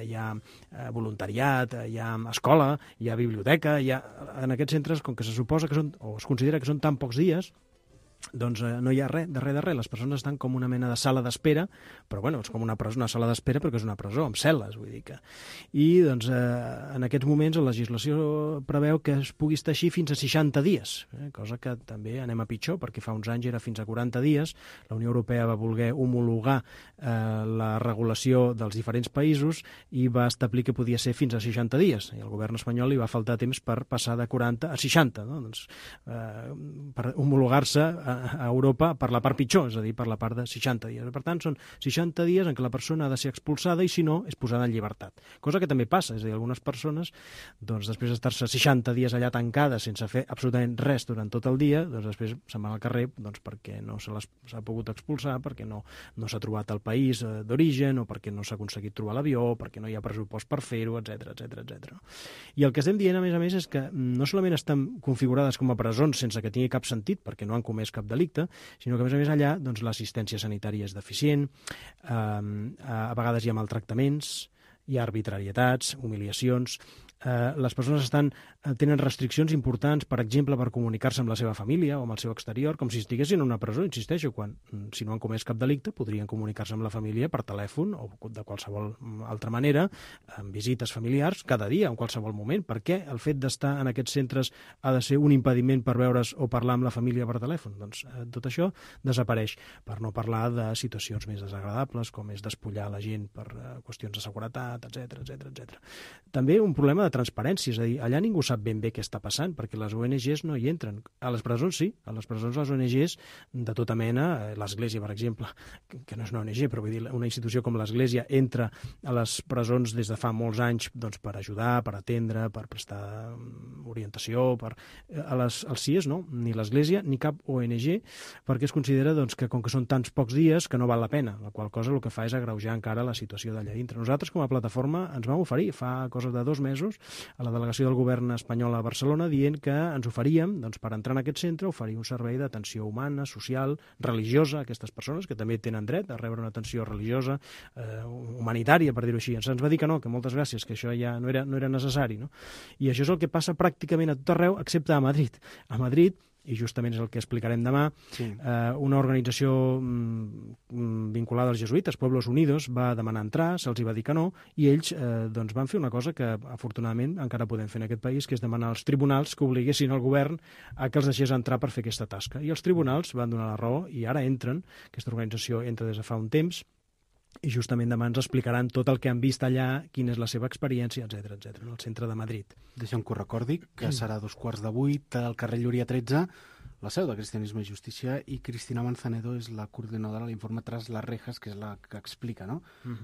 hi ha voluntariat, hi ha escola, hi ha biblioteca, en aquests centres, com que se suposa que són, o es considera que són tan pocs dies, doncs no hi ha res, de res. Les persones estan com una mena de sala d'espera, però bueno, és com una sala d'espera perquè és una presó, amb cel·les, vull dir que... I doncs en aquests moments la legislació preveu que es pugui estar així fins a 60 dies, cosa que també anem a pitjor, perquè fa uns anys era fins a 40 dies, la Unió Europea va voler homologar la regulació dels diferents països i va establir que podia ser fins a 60 dies, i al govern espanyol li va faltar temps per passar de 40 a 60, no? Doncs, per homologar-se a Europa per la part pitjor, és a dir, per la part de 60 dies. Per tant, són 60 dies en què la persona ha de ser expulsada i, si no, és posada en llibertat. Cosa que també passa, és a dir, algunes persones, doncs, després d'estar-se 60 dies allà tancades sense fer absolutament res durant tot el dia, doncs després se'n van al carrer doncs, perquè no s'ha pogut expulsar, perquè no s'ha trobat el país d'origen, o perquè no s'ha aconseguit trobar l'avió, perquè no hi ha pressupost per fer-ho, etc. I el que estem dient, a més, és que no solament estan configurades com a presons sense que tingui cap sentit, perquè no han comès cap delicte, sinó que, a més, allà doncs, l'assistència sanitària és deficient, a vegades hi ha maltractaments, hi ha arbitrarietats, humiliacions. Les persones tenen restriccions importants, per exemple, per comunicar-se amb la seva família o amb el seu exterior, com si estiguessin en una presó, insisteixo, quan, si no han comès cap delicte, podrien comunicar-se amb la família per telèfon o de qualsevol altra manera, amb visites familiars, cada dia, en qualsevol moment. Per què el fet d'estar en aquests centres ha de ser un impediment per veure's o parlar amb la família per telèfon? Doncs tot això desapareix, per no parlar de situacions més desagradables, com és despullar la gent per qüestions de seguretat, etc. També un problema de transparència, és a dir, allà ningú sap ben bé què està passant, perquè les ONGs no hi entren. A les presons sí, a les presons les ONGs de tota mena, l'Església, per exemple, que no és una ONG, però vull dir, una institució com l'Església entra a les presons des de fa molts anys doncs, per ajudar, per atendre, per prestar orientació, als CIES no, ni l'Església ni cap ONG, perquè es considera doncs, que com que són tants pocs dies que no val la pena, la qual cosa el que fa és agreujar encara la situació d'allà dintre. Nosaltres com a plataforma ens vam oferir fa coses de 2 mesos a la delegació del govern espanyol a Barcelona dient que ens oferíem, doncs, per entrar en aquest centre, oferir un servei d'atenció humana, social, religiosa a aquestes persones que també tenen dret a rebre una atenció religiosa, humanitària, per dir-ho així. Ens va dir que no, que moltes gràcies, que això ja no era necessari. No? I això és el que passa pràcticament a tot arreu, excepte a Madrid. A Madrid, i justament és el que explicarem demà, sí. Una organització vinculada als jesuïtes, Pueblos Unidos, va demanar entrar, se'ls va dir que no, i ells doncs van fer una cosa que afortunadament encara podem fer en aquest país, que és demanar als tribunals que obliguessin el govern a que els deixés entrar per fer aquesta tasca. I els tribunals van donar la raó i ara entren, aquesta organització entra des de fa un temps, i justament demà ens explicaran tot el que han vist allà, quina és la seva experiència, etc en el centre de Madrid. Deixa'm que ho recordi, que serà a 7:15 al carrer Llúria 13, la seu de Cristianisme i Justícia, i Cristina Manzanedo és la coordinadora de l'informe Tras les rejas, que és la que explica no?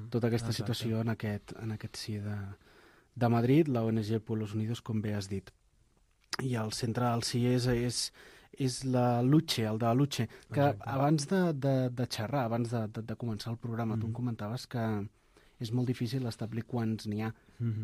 Tota aquesta situació en aquest CIE de Madrid, la ONG Pueblos Unidos, com bé has dit. I el centre del CIE és la Luche, el de la Luche, que abans de xerrar, abans de començar el programa, tu em comentaves que és molt difícil establir quants n'hi ha.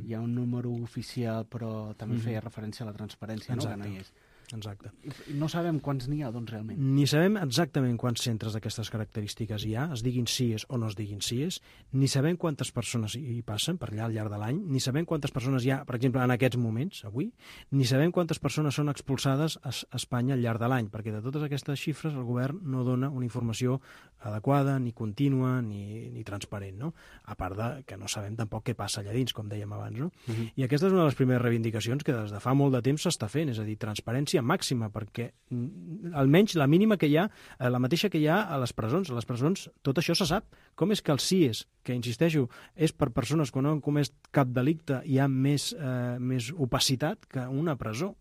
Hi ha un número oficial, però també feia referència a la transparència, no? Que no hi és. Exacte. No sabem quants n'hi ha, doncs, realment. Ni sabem exactament quants centres d'aquestes característiques hi ha, es diguin CIES o no es diguin CIES, ni sabem quantes persones hi passen per allà al llarg de l'any, ni sabem quantes persones hi ha, per exemple, en aquests moments, avui, ni sabem quantes persones són expulsades a Espanya al llarg de l'any, perquè de totes aquestes xifres el govern no dona una informació adequada, ni contínua, ni transparent, no? A part de que no sabem tampoc què passa allà dins, com dèiem abans, no? I aquesta és una de les primeres reivindicacions que des de fa molt de temps s'està fent, és a dir, transparència màxima, perquè almenys la mínima que hi ha, la mateixa que hi ha a les presons. A les presons tot això se sap. Com és que els CIES, que insisteixo, és per persones que no han comès cap delicte, hi ha més opacitat que una presó?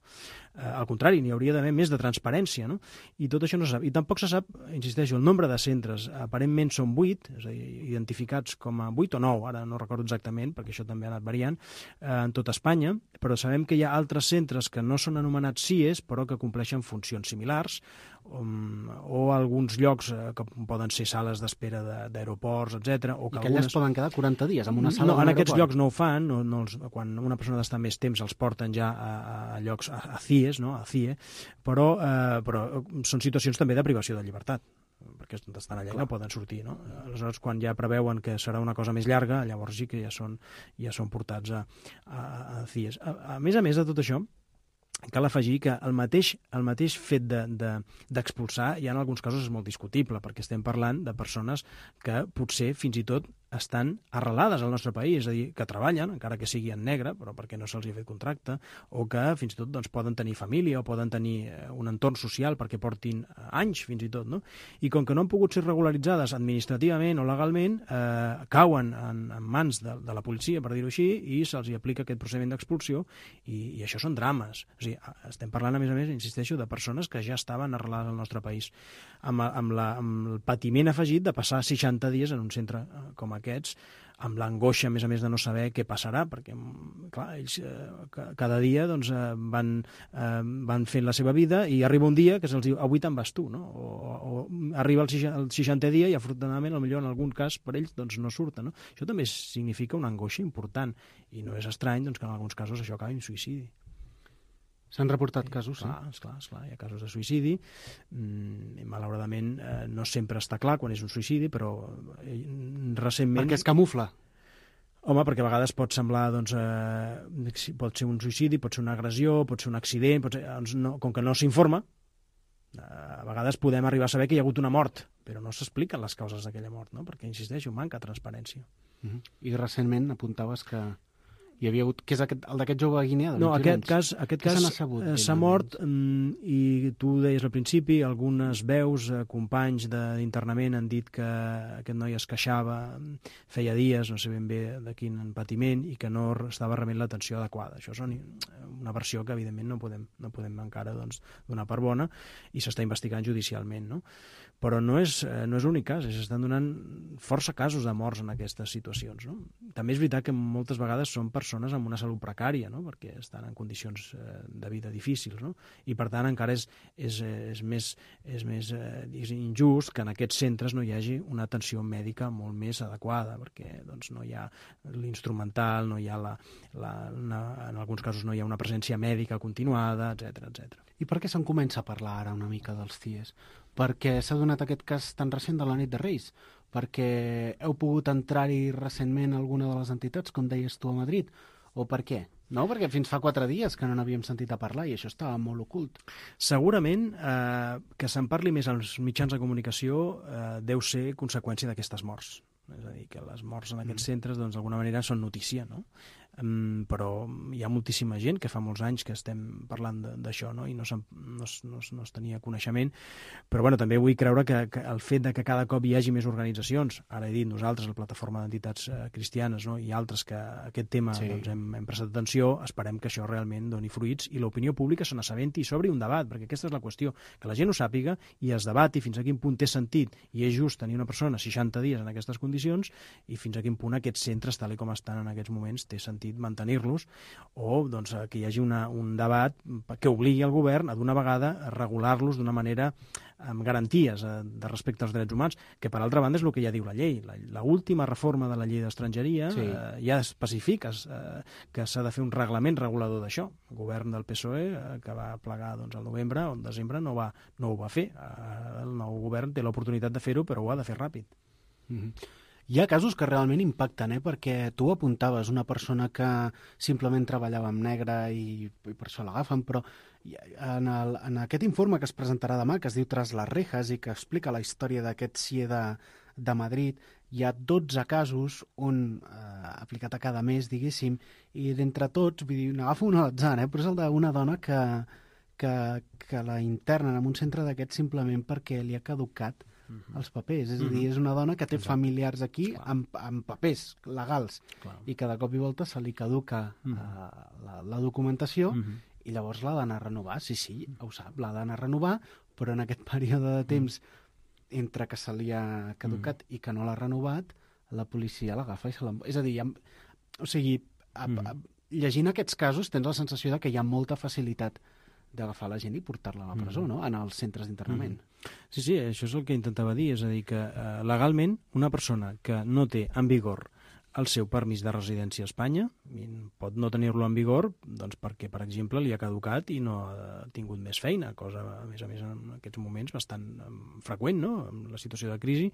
Al contrari, n'hi hauria d'haver més de transparència, no? I tot això no se sap. I tampoc se sap, insisteixo, el nombre de centres. Aparentment són 8, és a dir, identificats com a 8 o 9, ara no recordo exactament, perquè això també ha anat variant, en tota Espanya, però sabem que hi ha altres centres que no són anomenats CIES, però que compleixen funcions similars, o alguns llocs que poden ser sales d'espera d'aeroports, etc. I que allà es poden quedar 40 dies en una sala No, en aquests llocs no ho fan, quan una persona ha d'estar més temps els porten ja a llocs, a CIES, no? A CIE, però són situacions també de privació de llibertat, perquè estan allà i no poden sortir, no? Aleshores, quan ja preveuen que serà una cosa més llarga, llavors sí que ja són portats a CIES. A més de tot això, cal afegir que el mateix fet d'expulsar ja en alguns casos és molt discutible, perquè estem parlant de persones que potser fins i tot estan arrelades al nostre país, és a dir, que treballen, encara que sigui en negre, però perquè no se'ls ha fet contracte, o que fins i tot doncs, poden tenir família o poden tenir un entorn social perquè portin anys fins i tot, no? I com que no han pogut ser regularitzades administrativament o legalment, cauen en mans de la policia, per dir-ho així, i se'ls aplica aquest procediment d'expulsió, i això són drames. O sigui, estem parlant, a més, insisteixo, de persones que ja estaven arrelades al nostre país, amb el patiment afegit de passar 60 dies en un centre com aquests, amb l'angoixa, a més, de no saber què passarà, perquè, clar, ells cada dia doncs, van fent la seva vida i arriba un dia que se'ls diu, avui te'n vas tu, no? O arriba el 60è dia i, afortunadament, potser en algun cas per ells doncs, no surten, no? Això també significa una angoixa important i no és estrany doncs, que en alguns casos això acabi en suïcidi. S'han reportat casos, sí? Esclar, hi ha casos de suïcidi. Malauradament no sempre està clar quan és un suïcidi, però recentment... Perquè es camufla? Home, perquè a vegades pot semblar, doncs, pot ser un suïcidi, pot ser una agressió, pot ser un accident, com que no s'informa, a vegades podem arribar a saber que hi ha hagut una mort, però no s'expliquen les causes d'aquella mort, no? Perquè, insisteixo, manca transparència. I recentment apuntaves que hi havia hagut... Què és el d'aquest jove guineà? No, aquest cas s'ha mort i tu deies al principi, algunes veus, companys d'internament han dit que aquest noi es queixava, feia dies, no sé ben bé de quin patiment, i que no estava rebent l'atenció adequada. Això és una versió que evidentment no podem encara doncs, donar per bona i s'està investigant judicialment, no? Però no és l'únic cas, s'estan donant força casos de morts en aquestes situacions, no? També és veritat que moltes vegades són persones amb una salut precària, no? Perquè estan en condicions de vida difícils, no? I per tant encara és més injust que en aquests centres no hi hagi una atenció mèdica molt més adequada, perquè doncs, no hi ha l'instrumental, no hi ha en alguns casos no hi ha una presència mèdica continuada, etc. I per què se'n comença a parlar ara una mica dels CIES? Perquè s'ha donat aquest cas tan recent de la nit de Reis? Perquè heu pogut entrar-hi recentment a alguna de les entitats, com deies tu a Madrid? O per què? No, perquè fins fa 4 dies que no n'havíem sentit a parlar i això estava molt ocult. Segurament que se'n parli més als mitjans de comunicació deu ser conseqüència d'aquestes morts. És a dir, que les morts en aquests centres doncs, d'alguna manera són notícia, no? Però hi ha moltíssima gent que fa molts anys que estem parlant d'això, no? I no es tenia coneixement, però bueno, també vull creure que el fet de que cada cop hi hagi més organitzacions, ara he dit nosaltres, la plataforma d'entitats cristianes, no? I altres que aquest tema sí. Doncs, hem prestat atenció, esperem que això realment doni fruits i l'opinió pública se n'assabenti i s'obri un debat, perquè aquesta és la qüestió, que la gent ho sàpiga i es debati fins a quin punt té sentit i és just tenir una persona 60 dies en aquestes condicions i fins a quin punt aquests centres, tal com estan en aquests moments, té sentit mantenir-los o doncs, que hi hagi un debat que obligui el govern a d'una vegada a regular-los d'una manera amb garanties de respecte als drets humans, que per altra banda és el que ja diu la llei. L'última reforma de la llei d'estrangeria sí. Ja especifica que s'ha de fer un reglament regulador d'això. El govern del PSOE, que va plegar doncs, al novembre o al desembre, no ho va fer. El nou govern té l'oportunitat de fer-ho, però ho ha de fer ràpid. Hi ha casos que realment impacten, perquè tu apuntaves una persona que simplement treballava amb negre i per això l'agafen, però en aquest informe que es presentarà demà, que es diu Tras les rejas i que explica la història d'aquest CIE de Madrid, hi ha 12 casos on aplicat a cada mes, diguéssim, i d'entre tots, vull dir, n'agafo un a l'atzar, però és el d'una dona que la internen en un centre d'aquests simplement perquè li ha caducat els papers, és a dir, és una dona que té familiars aquí amb papers legals i que de cop i volta se li caduca la documentació i llavors l'ha d'anar a renovar, sí, ho sap, l'ha d'anar a renovar, però en aquest període de temps entre que se li ha caducat i que no l'ha renovat, la policia l'agafa i se l'emporta. És a dir, o sigui, llegint aquests casos tens la sensació de que hi ha molta facilitat d'agafar la gent i portar-la a la presó, no? En els centres d'internament. Sí, això és el que intentava dir, és a dir, que legalment una persona que no té en vigor el seu permís de residència a Espanya pot no tenir-lo en vigor doncs perquè, per exemple, li ha caducat i no ha tingut més feina, cosa, a més en aquests moments bastant freqüent, no?, en la situació de crisi.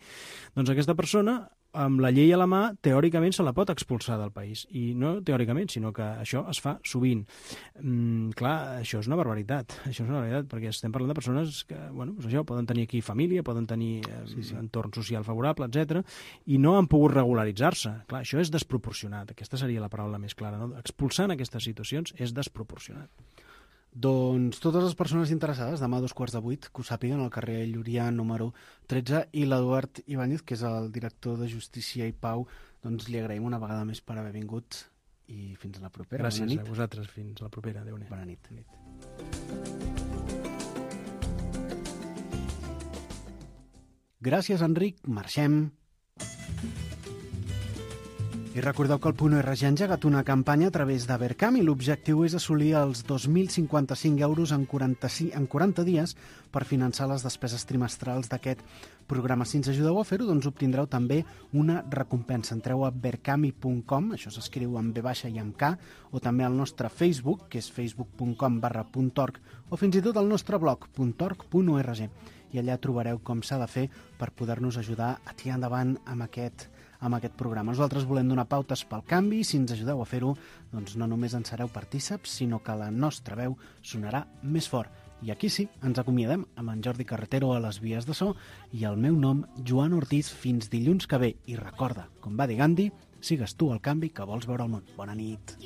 Doncs aquesta persona amb la llei a la mà, teòricament se la pot expulsar del país. I no teòricament, sinó que això es fa sovint. Clar, això és una barbaritat. Això és una barbaritat, perquè estem parlant de persones que, bueno, doncs això, poden tenir aquí família, poden tenir entorn social favorable, etc, i no han pogut regularitzar-se. Clar, això és desproporcionat. Aquesta seria la paraula més clara, no? Expulsar en aquestes situacions és desproporcionat. Doncs totes les persones interessades, demà a 7:15, que ho sàpiguen, al carrer Llurià número 13, i l'Eduard Ibáñez, que és el director de Justícia i Pau, doncs li agraïm una vegada més per haver vingut i fins a la propera. Gràcies a vosaltres, fins a la propera. Adéu-ne. Bona nit. Gràcies, Enric. Marxem. I recordeu que el .org ha engegat una campanya a través de Verkam i l'objectiu és assolir els 2.055 euros en 40 dies per finançar les despeses trimestrals d'aquest programa. Si ens ajudeu a fer-ho, doncs obtindreu també una recompensa. Entreu a verkami.com, això s'escriu amb V baixa i amb K, o també al nostre Facebook, que és facebook.com/.org, o fins i tot al nostre blog, .org.org. I allà trobareu com s'ha de fer per poder-nos ajudar a tirar endavant amb aquest programa. Nosaltres volem donar pautes pel canvi i si ens ajudeu a fer-ho, doncs no només en sereu partíceps, sinó que la nostra veu sonarà més fort. I aquí sí, ens acomiadem amb en Jordi Carretero a les vies de so i el meu nom, Joan Ortiz, fins dilluns que ve. I recorda, com va dir Gandhi, sigues tu el canvi que vols veure al món. Bona nit.